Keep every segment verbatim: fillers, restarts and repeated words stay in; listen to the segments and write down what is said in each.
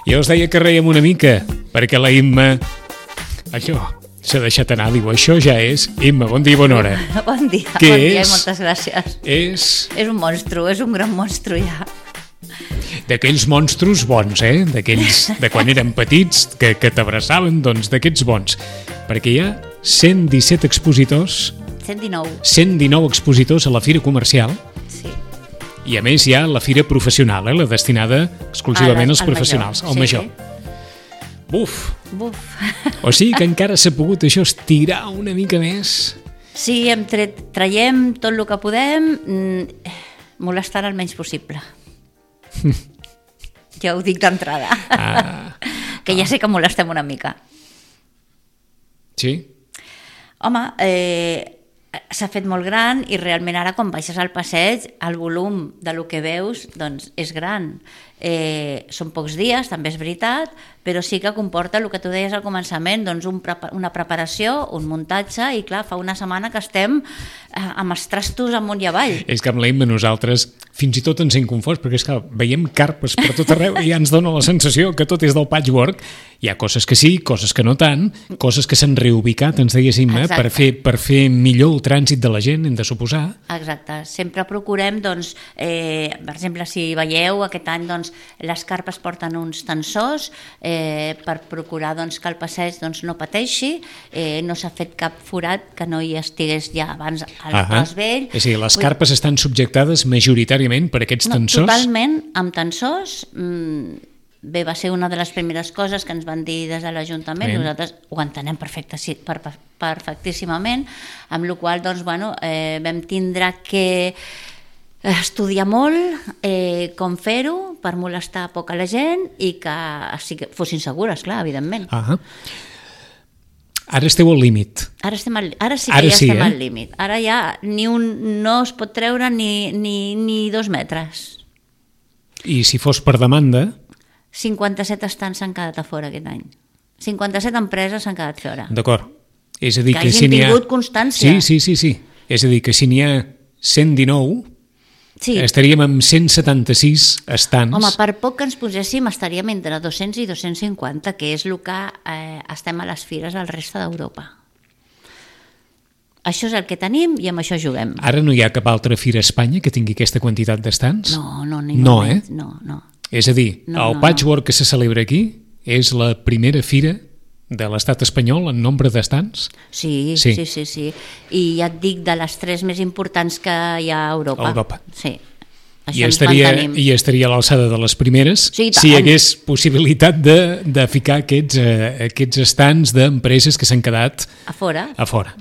Jo us deia que reiem una mica, perquè la Imma, allò, s'ha deixat anar, diu, això ja és... Imma, bon dia i bona hora. Bon dia, Què bon dia és? i moltes gràcies. És És un monstru, és un gran monstru ja. d'aquells monstros bons, eh? D'aquells de quan érem petits, que, que t'abraçaven, doncs d'aquests bons. Perquè hi ha cent disset expositors, cent dinou. cent dinou expositors a la Fira Comercial, Sí. i a més hi ha la Fira Professional, eh? La destinada exclusivament A la- als al professionals, major, al sí, major. sí. Buf! Buf. O sigui que encara s'ha pogut això estirar una mica més. Sí, hem tret, traiem tot el que podem, mm, molestant el menys possible. Ja ho dic d'entrada. Ah, Que ja sé que molestem una mica. sí? Home, eh, s'ha fet molt gran i realment ara quan baixes al passeig el volum de lo que veus doncs és gran. Eh, són pocs dies, també és veritat, però sí que comporta el que tu deies al començament, doncs un prepa- una preparació, un muntatge, i clar, fa una setmana que estem eh, amb els trastos amunt i avall. És que amb l'Emma nosaltres fins i tot ens hem confós, perquè és que veiem carpes per tot arreu i ja ens dona la sensació que tot és del patchwork. Hi ha coses que sí, coses que no tant, coses que s'han reubicat, ens deies, Imma, Exacte. per fer, per fer millor el trànsit de la gent, hem de suposar. Exacte, sempre procurem, doncs, eh, per exemple, si veieu, aquest any doncs, les carpes porten uns tensors eh, per procurar doncs, que el passeig doncs, no pateixi, eh, no s'ha fet cap forat que no hi estigués ja abans al Ahà. pas vell. És a dir, les Vull- carpes estan subjectades majoritàriament per aquests no, tensors. Totalment amb tensors. Mm, bé, va ser una de les primeres coses que ens van dir des de l'Ajuntament, Bé. nosaltres ho entenem perfecte, sí, per, per, perfectíssimament, amb la qual cosa doncs, bueno, eh, vam tindre que estudiar molt eh, com fer-ho per molestar poc a la gent i que sí que fossin segures, clar, evidentment. Ahà. Ara esteu al límit. Ara, estem al, ara sí que Ara ja sí, estem eh? al límit. Ara ja ni un, no es pot treure ni, ni, ni dos metres. I si fos per demanda, cinquanta-set estants s'han quedat a fora aquest any. cinquanta-set empreses s'han quedat fora. d'acord. És a dir, Que que, hagin si n'hi ha... tingut constància. Sí, sí, sí, sí. És a dir, que si n'hi ha cent dinou, Sí. estaríem amb cent setanta-sis estants. Home, per poc que ens poséssim estaríem entre dos-cents i dos-cents cinquanta, que és el que eh, estem a les fires al reste d'Europa. Això és el que tenim i amb això juguem. Ara no hi ha cap altra fira a Espanya que tingui aquesta quantitat d'estants? No, no, ni No, moment. eh? No, no. És a dir, No, el no, patchwork que se celebra aquí és la primera fira de l'estat espanyol en nombre d'estants? Sí, Sí. sí, sí, sí. I ja et dic, de les tres més importants que hi ha a Europa. A Europa. Sí. Això I ens estaria, mantenim. I estaria a l'alçada de les primeres Sí, i si hi tant. hagués possibilitat de, de ficar aquests, eh, aquests estants d'empreses que s'han quedat A fora. a fora.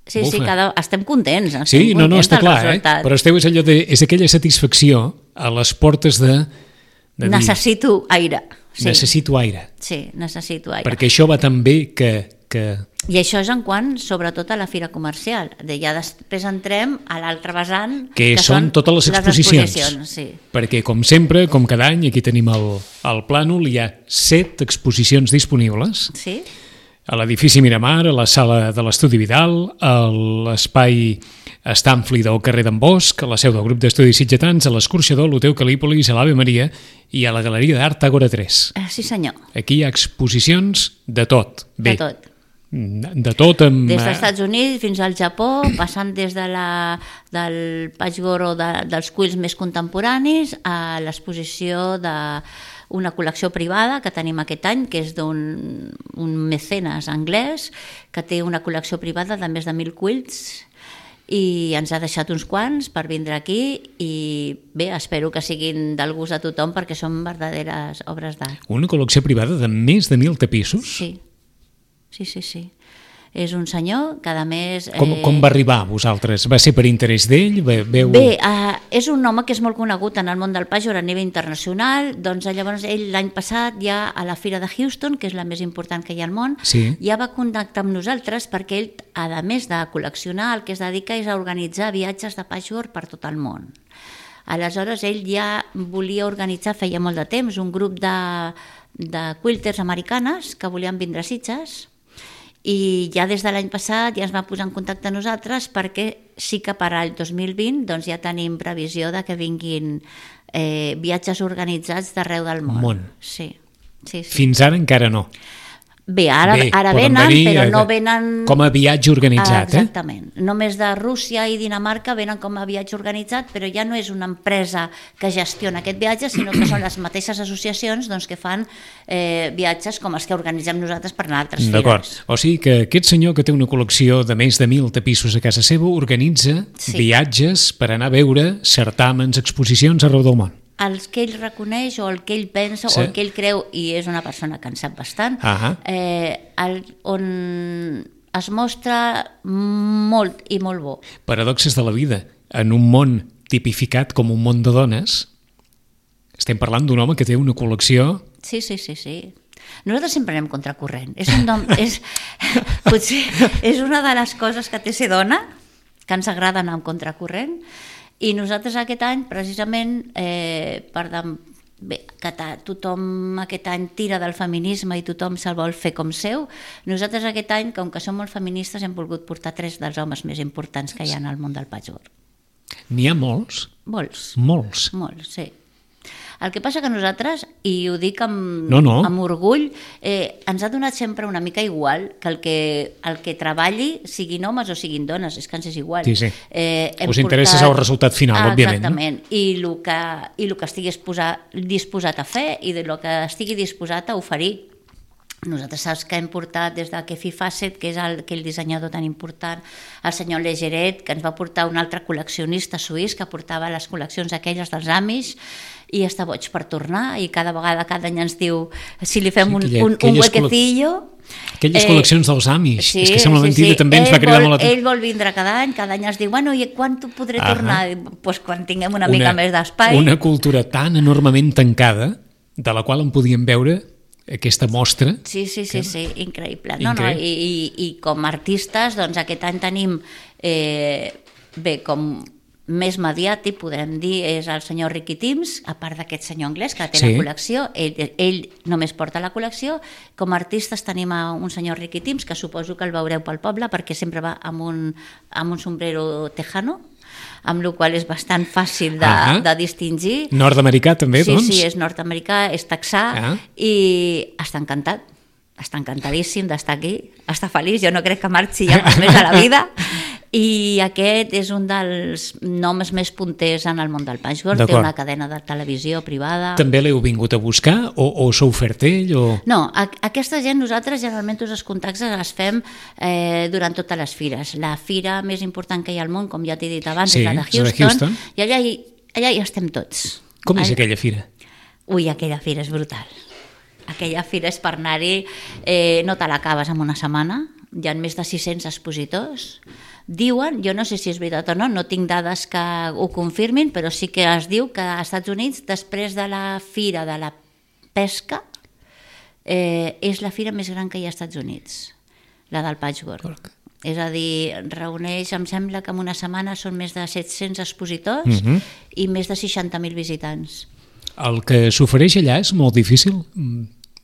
Sí, sí, Bufa. cada... estem contents. Estem Sí, no, no, contents està del clar, eh? resultat. Però esteu és, allò de, és aquella satisfacció a les portes de, de dir, Necessito aire. Sí. necessito aire. Sí, necessito aire. Perquè això va tan bé que... que... I això és en quant, sobretot, a la fira comercial. De ja després entrem a l'altre vessant, Que són totes les exposicions. exposicions, sí. Perquè, com sempre, com cada any, aquí tenim el, el plànol, hi ha set exposicions disponibles Sí? a l'edifici Miramar, a la sala de l'Estudi Vidal, a l'espai Estanfli del carrer d'en Bosch, a la seu del grup d'estudis sitgetans, a l'escorxador, a l'Hotel Calípolis, a l'Ave Maria i a la Galeria d'Art Àgora tres. Eh, sí, senyor. Aquí hi ha exposicions de tot. Bé, De tot. de tot amb... Des dels Estats Units fins al Japó, passant des de la, del patchwork o de, dels quills més contemporanis a l'exposició de una col·lecció privada que tenim aquest any, que és d'un un mecenes anglès que té una col·lecció privada de més de mil quills i ens ha deixat uns quants per vindre aquí i bé, espero que siguin del gust de tothom perquè són verdaderes obres d'art. Una col·lecció privada de més de mil tapissos? Sí, sí, sí, sí. És un senyor que a més... Com, com va arribar a vosaltres? Va ser per interès d'ell? Ve- Veu... Bé, uh, és un home que és molt conegut en el món del patchwork a nivell internacional, doncs llavors ell l'any passat ja a la Fira de Houston, que és la més important que hi ha al món, Sí. ja va contactar amb nosaltres perquè ell, a més de col·leccionar, el que es dedica és a organitzar viatges de patchwork per tot el món. Aleshores ell ja volia organitzar, feia molt de temps, un grup de, de quilters americanes que volien vindre a Sitges I ja des de l'any passat ja es va posar en contacte amb nosaltres perquè sí que per al dos mil vint doncs, ja tenim previsió de que vinguin eh, viatges organitzats d'arreu del món. Món. Sí, sí, sí. Fins ara encara no. Bé, ara, Bé, ara poden venen, venir, però eh, no venen... Com a viatge organitzat, ah, exactament. Eh? Només de Rússia i Dinamarca venen com a viatge organitzat, però ja no és una empresa que gestiona aquest viatge, sinó que són les mateixes associacions doncs, que fan eh, viatges com els que organitzem nosaltres per anar a altres D'acord. fires. O sigui que aquest senyor que té una col·lecció de més de mil tapissos a casa seva organitza Sí. viatges per anar a veure certàmens, exposicions arreu del món. Els que ell reconeix o el que ell pensa Sí. o el que ell creu, i és una persona que en sap bastant, Ahà. eh, el, on es mostra molt i molt bo. Paradoxes de la vida. En un món tipificat com un món de dones, estem parlant d'un home que té una col·lecció... Sí, sí, sí, sí. Nosaltres sempre anem contracorrent. És un nom, és, potser és una de les coses que té ser dona, que ens agrada anar en contracorrent, i nosaltres aquest any, precisament, eh, per de, bé, que ta, tothom aquest any tira del feminisme i tothom se'l vol fer com seu, nosaltres aquest any, com que som molt feministes, hem volgut portar tres dels homes més importants que hi ha en el món del patchwork. N'hi ha molts? Molts. Molts. Molts, sí. El que passa que nosaltres, i ho dic amb, no, no. amb orgull, eh, ens ha donat sempre una mica igual que el que, el que treballi siguin homes o siguin dones, és que ens és igual. Sí, sí. Eh, Us interessa portat... el resultat final, ah, òbviament. Exactament, no? I el que, i el que estigui disposat, disposat a fer i el que estigui disposat a oferir. Nosaltres saps que hem portat des de Kefi Facet, que és el, aquell dissenyador tan important, el senyor Legeret, que ens va portar un altre col·leccionista suís que portava les col·leccions aquelles dels Amish, i està boig per tornar, i cada vegada, cada any ens diu si li fem sí, un, un, un huequecillo... Aquelles eh, col·leccions dels Amish, sí, és que sembla sí, mentida, sí. també ens ell va cridar vol, molt l'atenció. Ell vol vindre cada any, cada any ens diu, bueno, i quan t'ho podré ah, tornar? Pues quan tinguem una, una mica més d'espai. Una cultura tan enormement tancada, de la qual en podíem veure aquesta mostra. Sí, sí, sí, que... sí, increïble. increïble. No, no, i, i, I com a artistes, doncs aquest any tenim, eh, bé, com més mediàtic, podrem dir, és el senyor Ricky Timms, a part d'aquest senyor anglès que té sí. la col·lecció, ell, ell només porta la col·lecció. Com a artistes tenim a un senyor Ricky Timms, que suposo que el veureu pel poble, perquè sempre va amb un, amb un sombrero tejano, amb la qual és bastant fàcil de, ah, de distingir. Nord-americà també, sí, doncs? Sí, sí, és nord-americà, és texà, ah. i està encantat. Està encantadíssim d'estar aquí, està feliç, jo no crec que marxi ja més a la vida. I aquest és un dels noms més punters en el món del patchwork, té una cadena de televisió privada. També l'heu vingut a buscar o, o s'ha ofert ell? O... No, a, aquesta gent nosaltres generalment tots els contactes els fem eh, durant totes les fires. La fira més important que hi ha al món, com ja t'he dit abans, sí, és la de Houston, de Houston. I allà hi, allà hi estem tots. Com és allà... aquella fira? Ui, aquella fira és brutal. Aquella fira és per anar-hi, eh, no te l'acabes en una setmana, hi ha més de sis-cents expositors. Diuen, jo no sé si és veritat o no, no tinc dades que ho confirmin, però sí que es diu que als Estats Units, després de la fira de la pesca, eh, és la fira més gran que hi ha als Estats Units, la del patchwork. Porca. És a dir, reuneix, em sembla que en una setmana són més de set-cents expositors uh-huh. i més de seixanta mil visitants. El que s'ofereix allà és molt difícil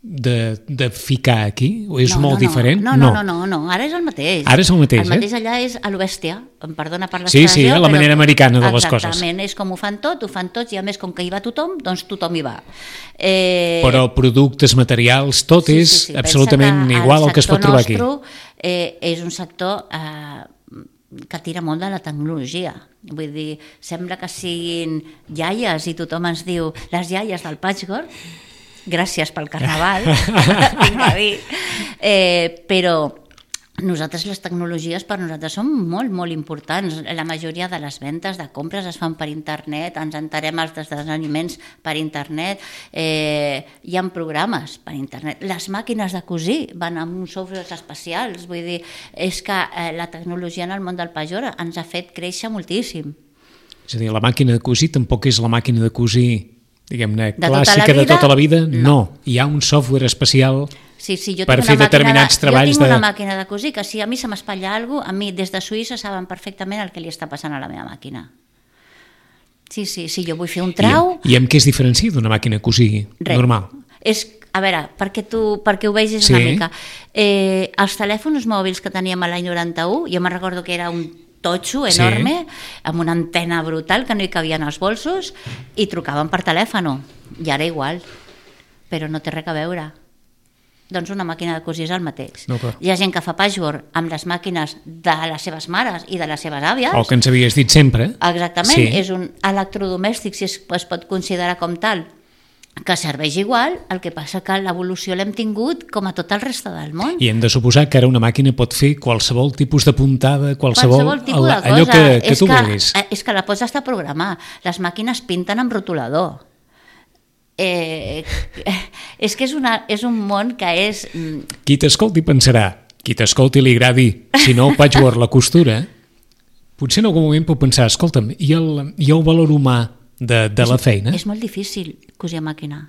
de, de ficar aquí? O és no, molt no, no. diferent? No, no, no, no, no, ara és el mateix. Ara és el mateix, el mateix eh? allà és a l'Obèstia, em perdona per l'expressió. Sí, sí, la manera però... americana de les coses. Exactament, és com ho fan tot, ho fan tots, i a més com que hi va tothom, doncs tothom hi va. Eh... Però productes, materials, tot sí, és sí, sí. absolutament igual al que es pot trobar aquí. El sector nostre eh, és un sector eh, que tira molt de la tecnologia. Vull dir, sembla que siguin iaies i tothom ens diu les iaies del patchwork, gràcies pel carnaval, tinc a dir. Eh, però nosaltres les tecnologies per nosaltres són molt, molt importants. La majoria de les ventes de compres es fan per internet, ens enterem els esdeveniments per internet, eh, hi ha programes per internet. Les màquines de cosir van amb uns softwares especials, vull dir, és que eh, la tecnologia en el món del patchwork ens ha fet créixer moltíssim. És a dir, la màquina de cosir tampoc és la màquina de cosir diguem-ne, de clàssica tota de tota la vida, no. no. Hi ha un software especial sí, sí, jo per fer determinats de, treballs. Jo tinc de... una màquina de cosir que si a mi se m'espatlla alguna cosa, a mi des de Suïssa saben perfectament el que li està passant a la meva màquina. Sí, sí, si jo vull fer un trau... I, i amb què es diferencia d'una màquina de cosir res. normal? És, a veure, perquè, tu, perquè ho vegis sí. una mica. Eh, els telèfons mòbils que teníem a l'any noranta-u, jo me'n recordo que era un totxo enorme, sí. amb una antena brutal que no hi cabien els bolsos, i trucaven per telèfon, i ara igual, però no té res a veure. Doncs una màquina de cosir és el mateix. No, hi ha gent que fa patchwork amb les màquines de les seves mares i de les seves àvies. El que ens havies dit sempre. Exactament, sí. és un electrodomèstic, si es, es pot considerar com tal, que serveix igual, el que passa que l'evolució l'hem tingut com a tot el reste del món. I hem de suposar que ara una màquina pot fer qualsevol tipus de puntada, qualsevol, qualsevol tipus de cosa. Allò que, que és tu que, vulguis. És que la pots estar programar. Les màquines pinten amb rotulador. Eh, és que és, una, és un món que és... Qui t'escolti pensarà, qui t'escolti li agradi, si no el patchwork, la costura, potser en algun moment pot pensar, escolta'm, hi ha el, hi ha el valor humà de, de és, la feina? És molt difícil cosir a màquina.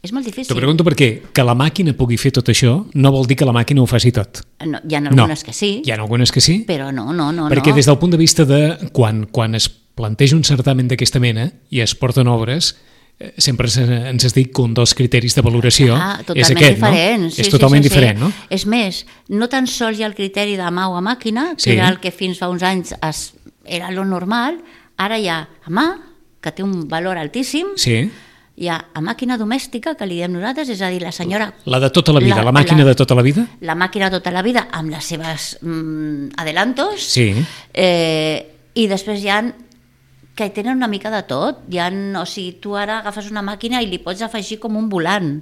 És molt difícil. T'ho pregunto perquè que la màquina pugui fer tot això no vol dir que la màquina ho faci tot. No, hi ha algunes no. que sí. Hi ha algunes que sí. Però no, no, no. Perquè no. des del punt de vista de quan, quan es planteja un certamen d'aquesta mena i es porten obres, sempre ens has dit que un dels criteris de valoració ah, és aquest, diferent. no? Sí, és totalment sí, sí, diferent, sí. no? És més, no tan sols hi ha el criteri de mà o a màquina, que sí. era el que fins fa uns anys es, era lo normal, ara hi ha a mà, que té un valor altíssim, sí. hi ha a màquina domèstica, que li diem nosaltres, és a dir, la senyora... La de tota la vida, la, la màquina la, de tota la vida? La màquina de tota la vida, amb les seves mm, adelantos, sí. eh, i després hi ha que tenen una mica de tot. Hi ha, o sigui, tu ara agafes una màquina i li pots afegir com un volant.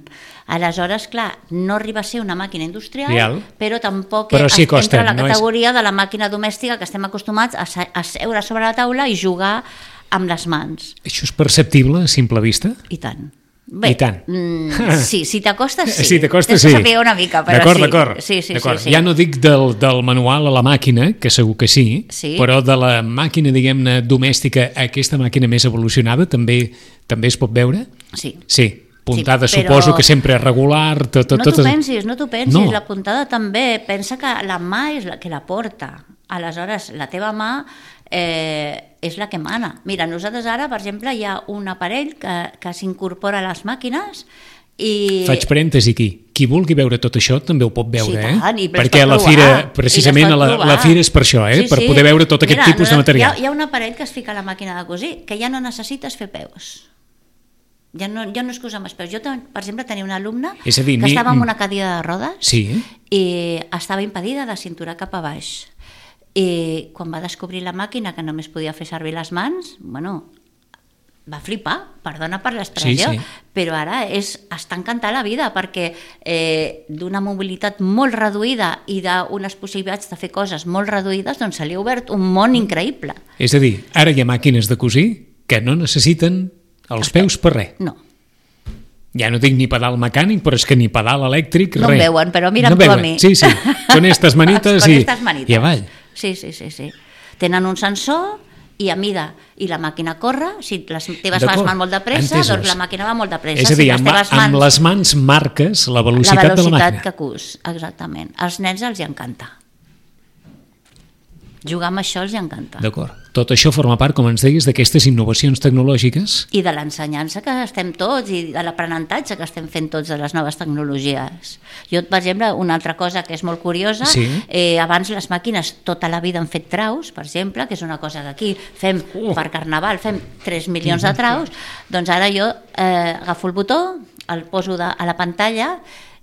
Aleshores, clar, no arriba a ser una màquina industrial, Real. Però tampoc però sí costa, entra a la no categoria és... de la màquina domèstica que estem acostumats a, a seure sobre la taula i jugar amb les mans. Això és perceptible a simple vista? I tant. Bé, I tant. Mm, sí, si t'acostes, sí. Si t'acostes, Tens sí. que saber una mica, però d'acord, sí. D'acord, sí, sí, d'acord. Sí, sí. Ja no dic del, del manual a la màquina, que segur que sí, sí. però de la màquina, diguem-ne, domèstica a aquesta màquina més evolucionada també també es pot veure? Sí. Sí. Puntada sí, però... suposo que sempre és regular. Tot, tot, no t'ho tot... pensis, no t'ho pensis. No. La puntada també. Pensa que la mà és la que la porta. Aleshores, la teva mà eh, és la que mana. Mira, nosaltres ara, per exemple, hi ha un aparell que, que s'incorpora a les màquines i... Faig parèntesi aquí. Qui vulgui veure tot això també ho pot veure, sí, tant, eh? Perquè a la fira, precisament a la, la fira és per això, eh? Sí, per sí. poder veure tot aquest Mira, tipus de material. Hi ha, hi ha un aparell que es fica a la màquina de cosir que ja no necessites fer peus. Ja no, ja no és que usar més peus. Jo, per exemple, tenia una alumna és a dir, que ni... estava en una cadira de rodes sí. i estava impedida de cintura cap a baix. I quan va descobrir la màquina que només podia fer servir les mans, bueno, va flipar, perdona per l'expressió, sí, sí. però ara és, està encantada la vida perquè eh, d'una mobilitat molt reduïda i d'unes possibilitats de fer coses molt reduïdes, doncs se li ha obert un món increïble. És a dir, ara hi ha màquines de cosir que no necessiten els peus per res. No. Ja no dic ni pedal mecànic, però és que ni pedal elèctric, no res. No em veuen, però mira'm no tu veuen. a mi. Sí, sí, con estas manites, con i, estas manites. i avall. Sí, sí, sí, sí. Tenen un sensor i a mida, i la màquina corre, si les teves mans van molt de pressa, entesos. Doncs la màquina va molt de pressa. És a dir, si amb, mans... amb les mans marques la velocitat, la velocitat de la màquina. que cus, exactament. Als nens els hi encanta. Jugar amb això els hi encanta. D'acord. Tot això forma part, com ens deies, d'aquestes innovacions tecnològiques. I de l'ensenyança que estem tots, i de l'aprenentatge que estem fent tots de les noves tecnologies. Jo, per exemple, una altra cosa que és molt curiosa, sí. eh, abans les màquines tota la vida han fet traus, per exemple, que és una cosa que aquí fem uh. per Carnaval, fem tres milions de traus, doncs ara jo eh, agafo el botó, el poso de, a la pantalla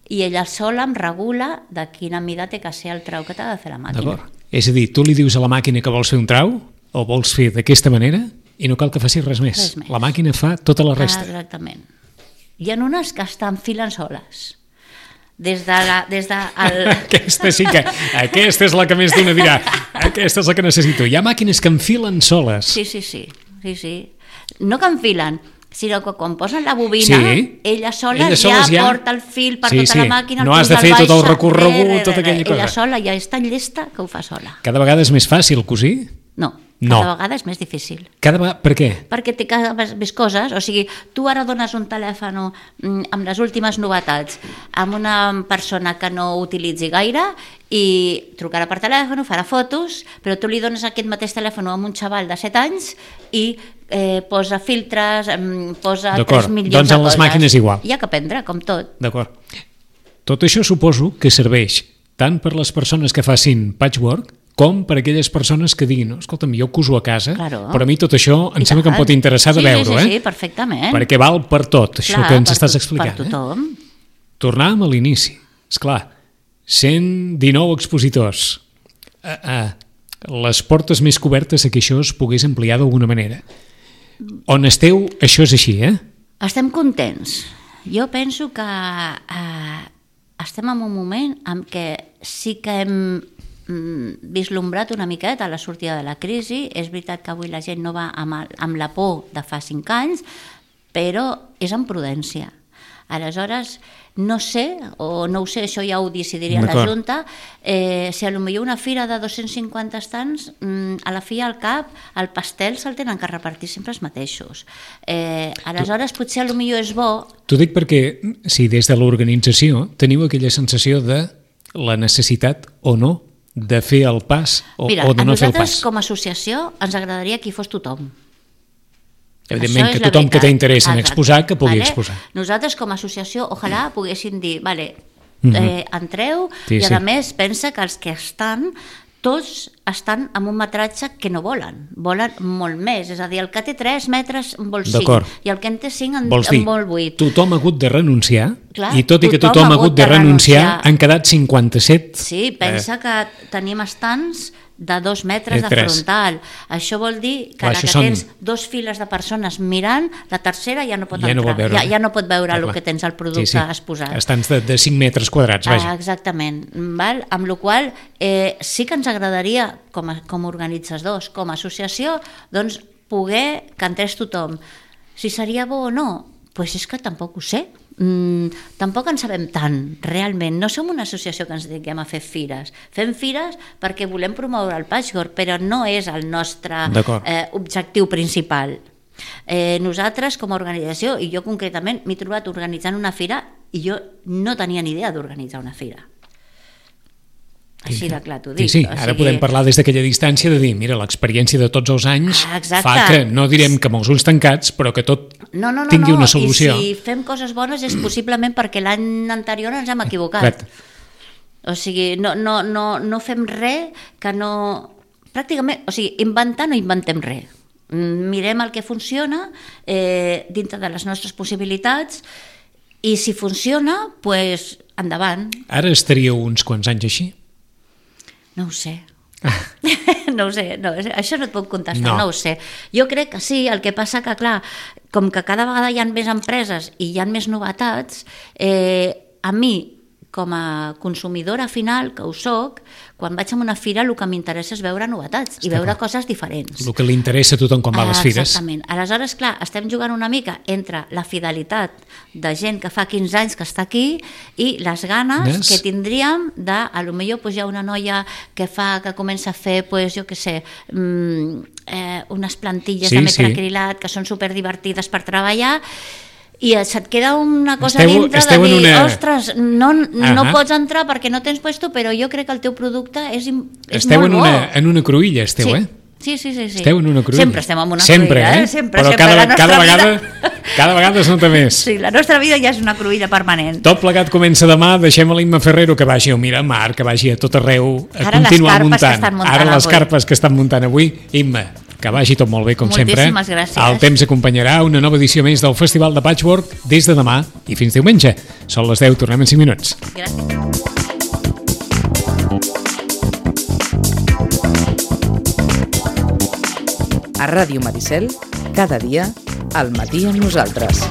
i ella sola em regula de quina mida té que ser el trau que t'ha de fer la màquina. D'acord. És a dir, tu li dius a la màquina que vols fer un trau o vols fer d'aquesta manera i no cal que faci res més. Res més. La màquina fa tota la resta. Ah, exactament. Hi ha unes que s'enfilen soles. Des de la... Des de el... Aquesta sí que... Aquesta és la que més d'una dirà. Aquesta és la que necessito. Hi ha màquines que enfilen soles. Sí, sí, sí. sí, sí. No que enfilen, sinó que quan posen la bobina, sí. ella sola ella ja, ja porta el fil per sí, tota sí. la màquina. No has de fer tot el recorregut, tota aquella cosa. Ella sola ja és tan llesta que ho fa sola. Cada vegada és més fàcil cosir? No. No. Cada vegada és més difícil. Cada vegada... Per què? Perquè té cada vegada més coses. O sigui, tu ara dones un telèfon amb les últimes novetats a una persona que no utilitzi gaire i trucarà per telèfon, farà fotos, però tu li dones aquest mateix telèfon a un xaval de set anys i eh, posa filtres, posa tres milions de coses. Doncs en les màquines igual. Hi ha que aprendre, com tot. D'acord. Tot això suposo que serveix tant per les persones que facin patchwork com per aquelles persones que diguin, no, escolta'm, jo cuso a casa, claro. Però a mi tot això em I sembla tant. Que em pot interessar de sí, veure, sí, eh? Sí, perfectament. Perquè val per tot, això clar, que ens per estàs to- explicant. Per tothom. Eh? Tornàvem a l'inici, esclar, cent dinou expositors, a, a les portes més cobertes a que això es pogués ampliar d'alguna manera. On esteu, això és així, eh? Estem contents. Jo penso que eh, estem en un moment en què sí que hem vislumbrat una miqueta a la sortida de la crisi. És veritat que avui la gent no va amb, el, amb la por de fa cinc anys, però és amb prudència. Aleshores, no sé, o no ho sé, això ja ho decidiria la Junta, eh, si potser una fira de dos-cents cinquanta estants, a la fi al cap, el pastel se'l tenen que repartir sempre els mateixos. Eh, aleshores, tu, potser potser és bo... T'ho dic perquè, si des de l'organització teniu aquella sensació de la necessitat o no de fer el pas o, Mira, o de no fer el pas. Mira, a nosaltres com a associació ens agradaria que hi fos tothom. Evidentment que tothom que té interès en exposar, que pugui vale? exposar. Nosaltres com a associació, ojalà poguéssim dir, vale, mm-hmm. eh, entreu sí, i a sí. més pensa que els que estan, tots estan amb un metratge que no volen, volen molt més, és a dir, el que té tres metres en vol cinc i el que en té cinc en, Vols dir, en vol vuit. Tothom ha hagut de renunciar. Clar, i tot i que tothom, tothom ha hagut de renunciar, renunciar han quedat cinquanta-set. Sí, pensa eh. que tenim estants de dos metres de frontal. Això vol dir que ara que són... tens dos files de persones mirant, la tercera ja no pot ja entrar, no veure. ja, ja no pot veure ah, el que tens al producte sí, sí. exposat. Estants de, de cinc metres quadrats, vaja. Ah, exactament. Val? Amb la qual eh, sí que ens agradaria, com a, com a organitzadors, com a associació, doncs poder que entrés tothom. Si seria bo o no? Doncs és que tampoc ho sé. Mm, tampoc en sabem tant, realment. No som una associació que ens dediquem a fer fires. Fem fires perquè volem promoure el patchwork, però no és el nostre eh, objectiu principal. Eh, nosaltres, com a organització, i jo concretament m'he trobat organitzant una fira i jo no tenia ni idea d'organitzar una fira. Així de clar t'ho dic. Sí, sí, ara o sigui... podem parlar des d'aquella distància de dir, mira, l'experiència de tots els anys ah, fa que, no direm que amb els ulls tancats, però que tot no, no, no, tingui no. una solució. I si fem coses bones és possiblement perquè l'any anterior ens hem equivocat. O sigui, no, no, no, no fem res que no... Pràcticament, o sigui, inventar no inventem res. Mirem el que funciona eh, dintre de les nostres possibilitats i si funciona, doncs pues, endavant. Ara estaríeu uns quants anys així? No ho sé. no ho sé, no, això no et puc contestar, no. no ho sé. Jo crec que sí, el que passa que, clar, com que cada vegada hi ha més empreses i hi ha més novetats, eh, a mi, com a consumidora final, que ho soc, quan vaig a una fira el que m'interessa és veure novetats i veure coses diferents. El que li interessa a tothom quan va a les fires. Exactament. Aleshores, clar, estem jugant una mica entre la fidelitat de gent que fa quinze anys que està aquí i les ganes yes. que tindríem de, a lo millor pues, hi ha una noia que fa que comença a fer, pues, jo què sé, mmm, eh, unes plantilles sí, de metacrilat sí. que són superdivertides per treballar i se't queda una cosa esteu, dintre de dir, una... ostres, no, no pots entrar perquè no tens puesto, però jo crec que el teu producte és, és esteu molt en bo. Esteu en una cruïlla, esteu, sí. eh? Sí, sí, sí, sí. Esteu en una cruïlla. Sempre estem en una sempre, cruïlla, eh? eh? Sempre, però sempre. Cada, la cada, vegada, vida... cada vegada es nota més. Sí, la nostra vida ja és una cruïlla permanent. Tot plegat comença demà, deixem a l'Imma Ferrero que vagi al Miramar, que vagi a tot arreu, a Ara continuar les muntant. muntant. Ara les avui. carpes que estan muntant avui. Imma, que vagi tot molt bé, com Moltíssimes sempre. Moltíssimes gràcies. El temps acompanyarà una nova edició més del Festival de Patchwork des de demà i fins diumenge. Són les deu, tornem en cinc minuts. Gràcies. A Ràdio Maricel, cada dia, al matí amb nosaltres.